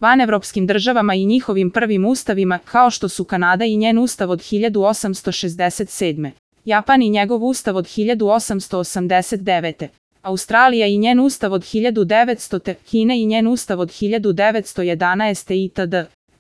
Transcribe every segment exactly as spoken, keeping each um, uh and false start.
Vanevropskim državama i njihovim prvim ustavima, kao što su Kanada i njen ustav od hiljadu osamsto šezdeset sedme. Japan i njegov ustav od hiljadu osamsto osamdeset devete. Australija i njen ustav od hiljadu devetstote. Kina i njen ustav od hiljadu devetsto jedanaeste. itd.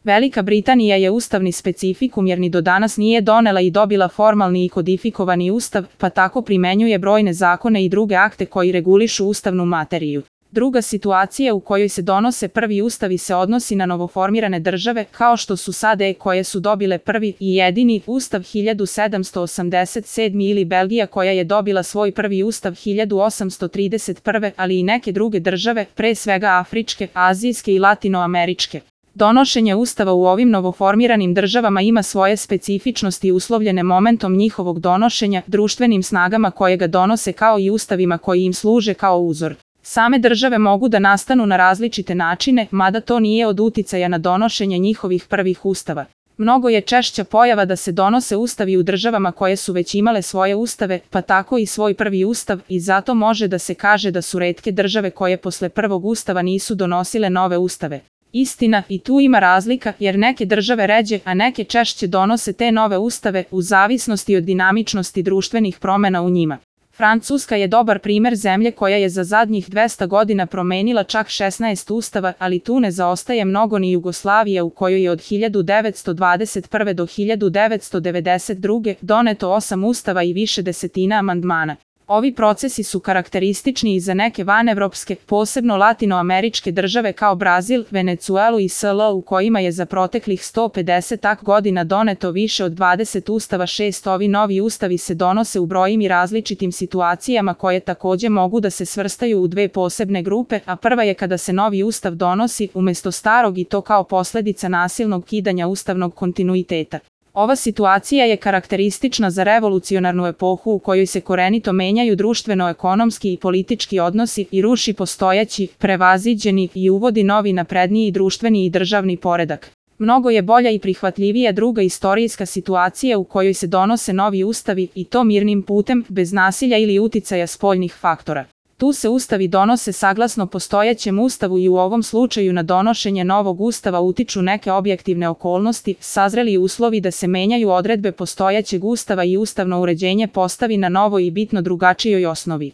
Velika Britanija je ustavni specifikum jer ni do danas nije donela i dobila formalni i kodifikovani ustav, pa tako primenjuje brojne zakone i druge akte koji regulišu ustavnu materiju. Druga situacija u kojoj se donose prvi ustavi se odnosi na novoformirane države, kao što su S A D koje su dobile prvi i jedini ustav hiljadu sedamsto osamdeset sedme. ili Belgija koja je dobila svoj prvi ustav hiljadu osamsto trideset prve. ali i neke druge države, pre svega afričke, azijske i latinoameričke. Donošenje ustava u ovim novoformiranim državama ima svoje specifičnosti uslovljene momentom njihovog donošenja, društvenim snagama koje ga donose kao i ustavima koji im služe kao uzor. Same države mogu da nastanu na različite načine, mada to nije od uticaja na donošenje njihovih prvih ustava. Mnogo je češća pojava da se donose ustavi u državama koje su već imale svoje ustave, pa tako i svoj prvi ustav, i zato može da se kaže da su retke države koje posle prvog ustava nisu donosile nove ustave. Istina, i tu ima razlika, jer neke države ređe, a neke češće donose te nove ustave, u zavisnosti od dinamičnosti društvenih promena u njima. Francuska je dobar primer zemlje koja je za zadnjih dvesta godina promenila čak šesnaest ustava, ali tu ne zaostaje mnogo ni Jugoslavija u kojoj je od hiljadu devetsto dvadeset prve. do hiljadu devetsto devedeset druge. doneto osam ustava i više desetina amandmana. Ovi procesi su karakteristični i za neke vanevropske, posebno latinoameričke države kao Brazil, Venecuelu i S L u kojima je za proteklih sto pedeset godina doneto više od dvadeset ustava. Šest Ovi novi ustavi se donose u brojnim i različitim situacijama koje takođe mogu da se svrstaju u dve posebne grupe, a prva je kada se novi ustav donosi umesto starog i to kao posledica nasilnog kidanja ustavnog kontinuiteta. Ova situacija je karakteristična za revolucionarnu epohu u kojoj se korenito menjaju društveno-ekonomski i politički odnosi i ruši postojeći, prevaziđeni i uvodi novi napredniji društveni i državni poredak. Mnogo je bolja i prihvatljivija druga istorijska situacija u kojoj se donose novi ustavi i to mirnim putem, bez nasilja ili uticaja spoljnih faktora. Tu se ustavi donose saglasno postojećem ustavu i u ovom slučaju na donošenje novog ustava utiču neke objektivne okolnosti, sazreli uslovi da se menjaju odredbe postojećeg ustava i ustavno uređenje postavi na novoj i bitno drugačijoj osnovi.